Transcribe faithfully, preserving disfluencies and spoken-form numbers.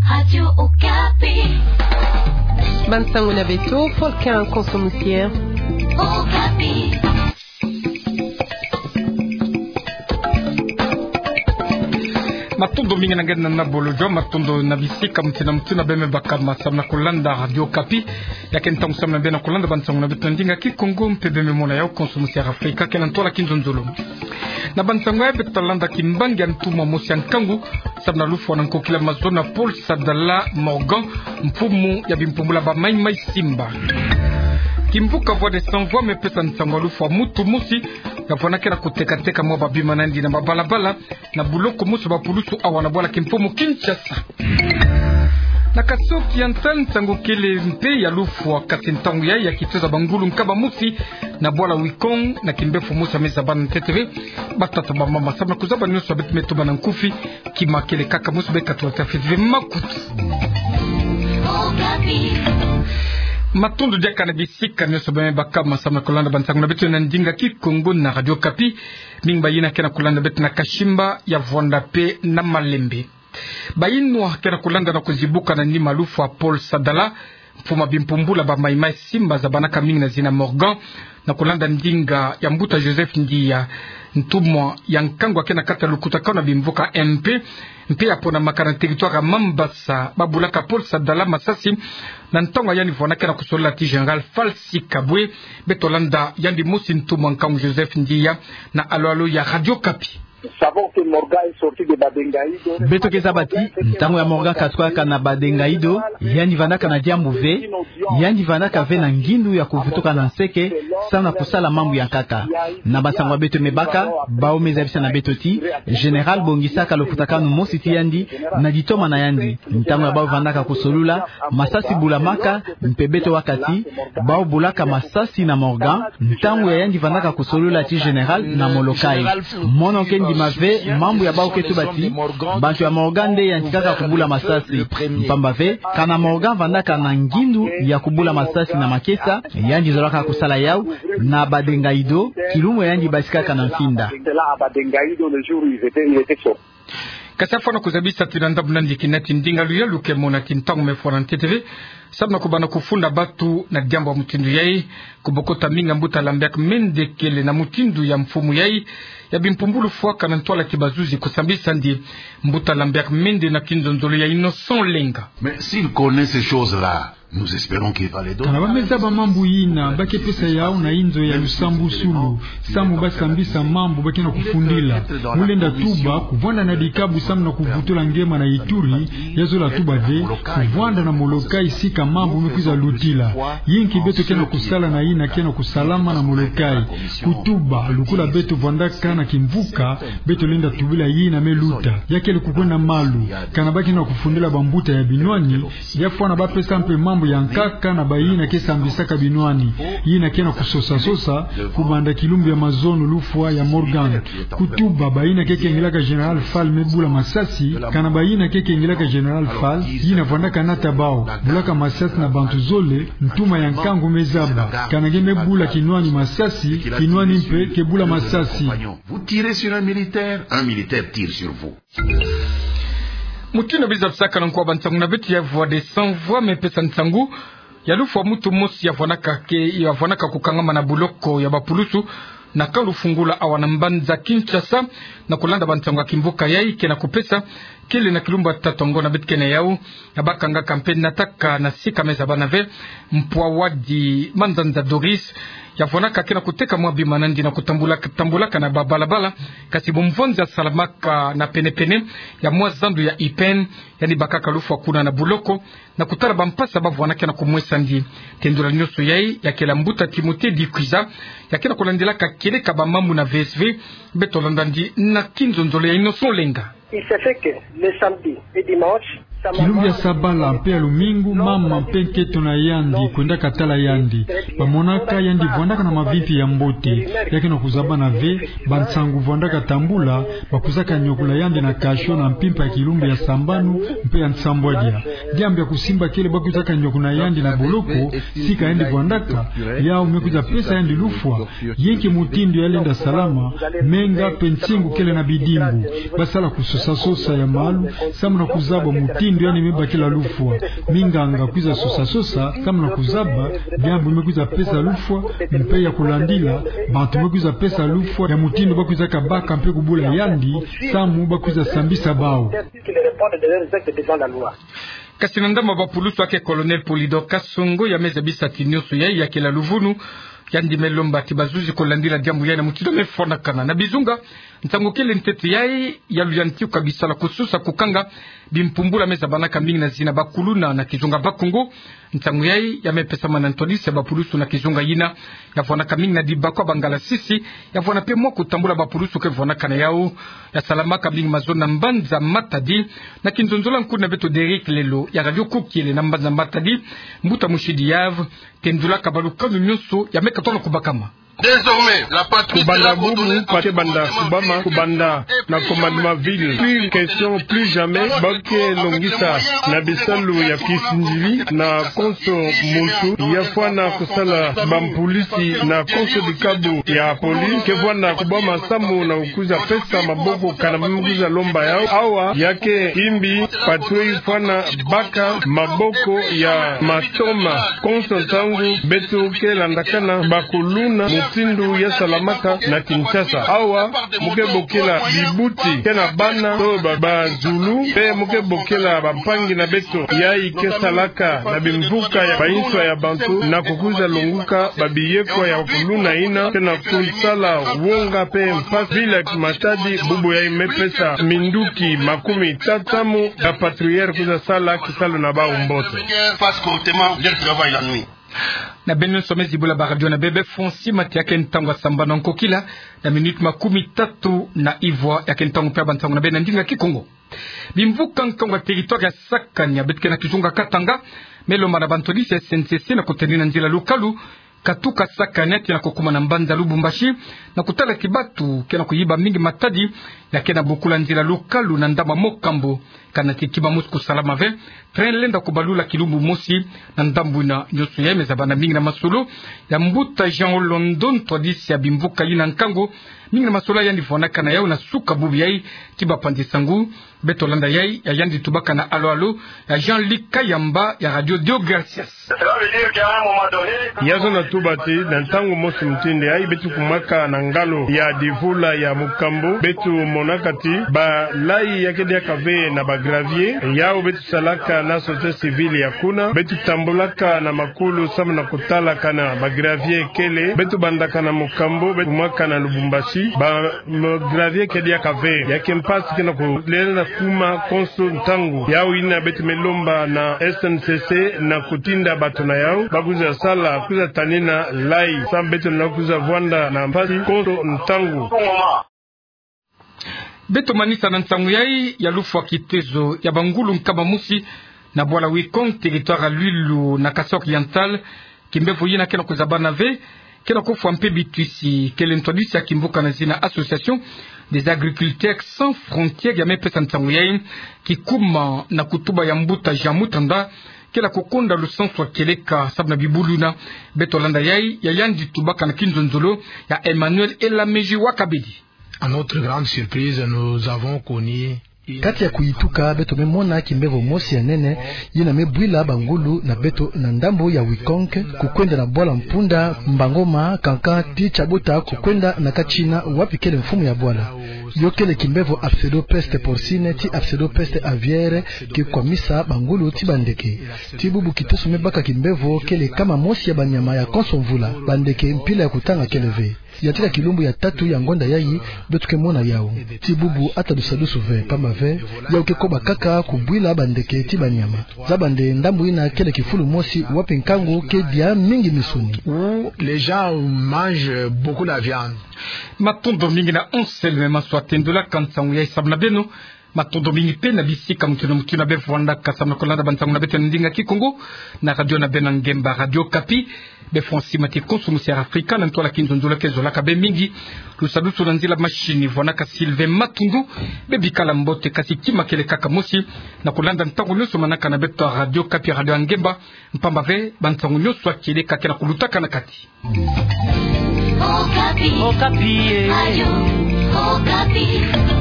Radio Okapi. Bansango na beto, Volcan Konso Musier. Okapi. Matondo mingi na nge na bolojo, matondo na bisika muti na muti na beme baka masambu na kolanda Radio Okapi. Ya ke ntangu sambu na beno kolanda bansango na beto na ndinga Kikongo mpe beme mona yau Konso Musier Afrika, ke na ntwala kinzonzolo. Na bansango ya beto talanda kimbangi ya ntumwa mosi ya nkangu, sambu na lufwa na nkokila mazono na Paul Sadala Morgan, mfumu ya bimpumbula ba Mai Mai Simba. Kimvuka Voix des Sans Voix mepesa nsangu ya lufwa mutu mosi, ya fwana ke na kutekateka mwa babima na yandi na mabalabala, na buloko mosi ya bapulusu awa na bwala kimfumu Kinshasa. Na Kasai Oriental nsangu kele mpe ya lufwa, kasi ntangu yayi ya kitosa bangulu nkaba mosi na bwala Wikong, na kimbefu mosi ya meza bana ntete ve, batata bamama, sambu na kuzaba nyonso ya beto me tubana nkufi, kima kele kaka mosi be katula ta fete ve makutu. Matondo diaka na bisika nyonso beme baka masambu na kolanda bansango na beto na ndinga Kikongo na Radio Okapi. Mingi bayina ke na kolanda beto na Kashimba, ya Vwanda mpe na Malembe. Bayinwa ke na kolanda na kuzibuka na nima lufwa Paul Sadala, mfumu ya bimpumbula ba Mai Mai Simba zabanaka mingi na zina Morgan, na kolanda ndinga ya mbuta Joseph Ndiya, ntumwa ya nkangu ke na kati ya lukutakanu ya bimvuka M P, mpe ya ponamaka na territoire ya Mambasa, babulaka Paul Sadala masasi, na ntangu ya yandi fwana ke na kusolola ti Général Fall Sikabwe. Beto landa yandi mosi ntumwa nkangu Joseph Ndiya na alo-alo ya Radio Okapi. Beto ke zaba ti, ntangu ya Morgan katuka na Badengaido, yandi vandaka na diambu ve, yandi vandaka ve na ngindu ya kuvutuka na nseke, sambu na kusala mambu ya nkaka. Na bansango ya beto me baka, bawu me zabisa na beto ti, Général bongisaka lukutakanu mosi ti yandi, na ditoma na yandi. Ntangu ya bawu vandaka kusolola, masasi bulamaka, mpe beto baka ti, bawu bulaka masasi na Morgan, ntangu ya yandi vandaka kusolola ti Général na Molokai. Mono ke ndima ve mambu ya bawu ke tuba ti, bantu ya Morgan nde yantikaka kubula masasi. Mpamba ve, kana Morgan vandaka na ngindu ya kubula masasi na makesa, yandi zolaka kusala yawu, na Badengaido, kilumbu ya yandi batikaka na mfinda. Kasi afwana kuzabisa ti na ndambu na yandi kina ti ndinga luyalu ke mona ti ntangu me fwana ntete ve, sambu na kubanda kufunda bantu na diambu ya mutindu yayi, kubokota mingi ya mbuta Lambert Mende kele na mutindu ya mfumu yayi, ya bimpumbulu fwaka na ntwala ti bazuzi kusambisa yandi. Mbuta Lambert Mende na kinzonzolo ya Innocent Lenga. Mais s'il connaît ces choses-là, Nous espérons qu'il va les donner. Kana ba me zaba mambu yina, ba ke pesa yawu na inzo ya lusambusulu, sambu ba sambisa mambu ba ke na kufundila. Mu lenda tuba, kuvwanda na dikabu sambu na kuvutula ngema na Ituri, ya zola tuba ve, kuvwanda na Molokai sika mambu me kwiza lutila. Yinki beto ke na kusala na yina ke na kusalama na Molokai. Kutuba, lukula beto vwandaka na kimvuka, beto lenda tubila yina me luta. Ya kele kukwenda malu, kana ba ke na kufundila bambuta ya binwani, ya fwana ba pesa mpe mambu ya nkaka na bayina ke sambisaka binwani, yina ke na kusosa-sosa, kubanda kilumbu ya mazono lufwa ya Morgan. Kutuba bayina ke kengilaka Général Fall me bula masasi, kana bayina ke kengilaka Général Fall, yina vwandaka nata bawu, bulaka masasi na bantu zole, ntuma ya nkangu me zaba, kana nge me bula kinwani masasi, kinwani mpe ke bula masasi. Vous tirez sur un militaire, un militaire tire sur vous. Mutindu biza tusaka na nkuwa bansangu na beto ya Voix des Sans Voix me pesa nsangu ya lufwa mutu mosi ya vwanaka ke, ya vwanaka kukangama na buloko ya bapulusu na camp Lufungula awa na mbanza Kinshasa, na kulanda bansangu ya kimvuka yayi ke na kupesa, kele na kilumbu ya tatu ngo na beto ke na yawu, ya ba kangaka mpe nataka na sika me zaba na ve, mpwa wadi Manzanza Doris, ya vwanaka ke na kuteka mwa bima na yandi na kutambula, tambulaka na babalabala, kasi bumvonza salamaka na pene-pene ya mwa zandu ya I P N, yandi bakaka lufwa kuna na buloko, na kutala bampasi ba vwanaka na kumwesa yandi. Tendula nyonso yayi, ya kele mbuta Timothée Dikwiza, ya ke na kulandilaka kieleka bamambu na V S V, beto landa yandi na kinzonzolo ya Innocent Lenga. Il se fait que le samedi et dimanche, sa maman... Kilumbu ya sabala mpe ya lumingu, mama mpe nkento na yandi kwendaka tala yandi. Bamonaka yandi vwandaka na mavimpi ya mbote. Ya ke na kuzabana ve bansangu vwandaka tambula, bakwizaka nyokula yandi na cachot na mpimpa ya kilumbu ya sambanu mpe ya nsambwadia. Diambu ya kusimba kele bakwizaka nyokuna yandi na boloko, sika yandi vwandaka, yawu me kwiza pesa yandi lufwa. Yinki mutindu ya lenda salama, menga mpe nsingu kele na bidimbu. Basala kusosa-sosa ya malu, samu na kuzaba mutindu Yandi me bakila lufwa. Minganga kwiza sosa-sosa, samu na kuzaba diambu me kwiza pesa lufwa, mpe ya kulandila bantu me kwiza pesa lufwa, ya mutindu ba kwizaka baka mpe kubula yandi, samu ba kwiza sambisa bawu. Kasi na ndambu ya bapulusu, ake Colonel Polydor Kasongo, ya me zabisa ti nionso yayi ya kela luvunu. Yandi me lomba ti bazuzi kulandila diambu yayi na mutindu me fwanakana. Na bizunga, nsangu kele ntete yayi ya luyantika bisala kususa kukanga bimpumbula me zabanaka mingi na zina bakuluna na kizunga Bakongo. Nsangu yayi ya me pesama na ntwadisi ya bapulusu na kizunga yina ya vwanaka mingi na dibakwa Bangala Sisi, ya vwana mpe mwa kutambula bapulusu ke vwanaka na yawu. Ya salamaka mingi mazono na mbanza Matadi. Na kinzonzolo ya nkuna beto Derrick Lelo ya Radio Kukiele na mbanza Matadi, mbuta Mushidi Yave tendulaka balukanu nionso ya me katuka na kubakama. Désormais, la patrie sera ordonnée à... Kubanda bubu, patrie ke banda kubama, kubanda na commandement ville. Plus question, plus jamais ba ke longisa na bisalu ya kisinzili na konso muntu ya fwana kusala bampulisi na konso dikabu ya police ke fwana kubama samu na kwiza pesa maboko kana kwiza lomba yawu. Awa ya ke imbi patrie fwana baka maboko ya matoma. Konso ntangu beto ke landakana bakuluna mutindu ya salamaka na Kinshasa. Awa mu ke bokela bibuti ke na bana to ba, bazulu, mpe mu ke bokela bampangi na beto yayi ke salaka na bimvuka ya bansoni ya bantu na kukwiza longuka babiyekwa ya kuluna yina ke na kusala wonga mpe mpasi. Ville ya Matadi bubu yayi me pesa minduki makumi tatu samu na patrouilleurs kwiza sala kisalu na bawu mbote. Na beno nionso me zibula baradio na beno, Francis Mathy, ya ke ntangu ya sambanu nkokila na minute makumi tatu na ivwa, ya ke ntangu mpe ya bansangu na beno na ndinga Kikongo. Bimvuka nkangu ya territoire ya Sakania, beto ke na kizunga Katanga, me lomba na bantwadisi ya S N C C na kuteni na nzila lukalu katuka Sakania tii na kukuma na mbanza Lubumbashi, na kutala ti bantu ke na kuyiba mingi matadi ya ke na bokula nzila lukalu na ndambu ya Mocambo. Kana ti kima mosi kusalama ve, train lenda kubalula kilumbu mosi na ndambu yina. Nionso yayi me zabana mingi na masolo ya mbuta Jean Olondo, ntwadisi ya bimvuka yina nkangu. Mingi na masolo yandi vwanaka na yawu na suka bubu yayi ti bapanzi-nsangu. Beto landa yayi ya yandi tubaka na alo-alo ya Jean-Luc Kayamba ya Radio Deo Gracias. Ya zona tuba ti na ntangu mosi mutindu yayi beto kumaka na ngalo ya divula ya Mocambo, beto monaka ti balayi ya ke diaka ve na ba gravier. Yawu beto salaka na société civile ya kuna, beto tambulaka na makulu samu na kutala kana ba gravier kele. Beto bandaka na Mocambo, beto kumaka na Lubumbashi, ba ma gravier ke diaka ve. Ya ke mpasi ke na kulenda kuma konso ntangu. Yawu yina beto me lomba na S N C C na kutinda bantu na yawu ba kwiza sala, kwiza tanina layi samu beto na kwiza vwanda na mpasi konso ntangu. Beto manisa na nsangu yayi ya lufwa kitezo ya bangulu nkama mosi na bwala Wikong, territoire ya Luilu na Kasaï Oriental. Kimbevo yina ke na kuzabana ve, ke na kufwa mpe bitwisi. Kele ntwadisi ya kimvuka na zina Association des Agriculteurs Sans Frontières ya me pesa nsangu yayi, kikuma na kutuba ya mbuta Jean Mutanda, ke na kukonda lusansu ya kieleka samu na bibulu yina. Beto landa yayi ya yandi tubaka na kinzonzolo ya Emmanuel Elamezi wa Kabedi. À notre grande surprise, nous avons connu une... Kati ya kuyituka, beto me mona kimbevo mosi ya nene yina me bwila bangulu na beto na ndambu ya Wikong, kukwenda na bwala mpunda Mbangoma, kanka ti Tiabuta, kukwenda na Katshina, wapi kele mfumu ya bwala. Yo kele kimbevo ya pseudopeste porcine ti pseudopeste aviaire, ke kwamisa bangulu ti bandeke. Ti bubu kiteso me baka kimbevo kele kama mosi ya banyama ya konso mvula, bandeke mpila ya kutanga kele ve. Yantika kilumbu ya tatu ya ngonda yayi, beto ke mona yawu. Ti bubu ata dusadusu ve, pamba ve yawu ke koba kaka kubwila bandeke ti banyama. Zaba nde ndambu yina kele kifulu mosi wapi nkangu ke dia mingi misuni. Où les gens mangent beaucoup la viande. Matondo mingi na Anselme Maswa tendulaka nsangu yayi samu na beno. Matondo mingi mpe na bisika mutindu na mutindu na be vwandaka samu na kulanda bansangu na beto na ndinga Kikongo na radio na beno ya ngemba, Radio Okapi. Be Francis Mathy konso musi ya Afrika na ntwala kinzonzolo ke zolaka be mingi. Lusadusu na nzila machine vwanaka Sylvain Matundu. Be bikala mbote, kasi kima kele kaka mosi na kulanda ntangu nionso manaka na beto ya Radio Okapi, radio ya ngemba. Mpamba ve bansangu nionso ya kieleka ke na kulutaka na kati. Okapi. Okapi, eh. Ayo, Okapi.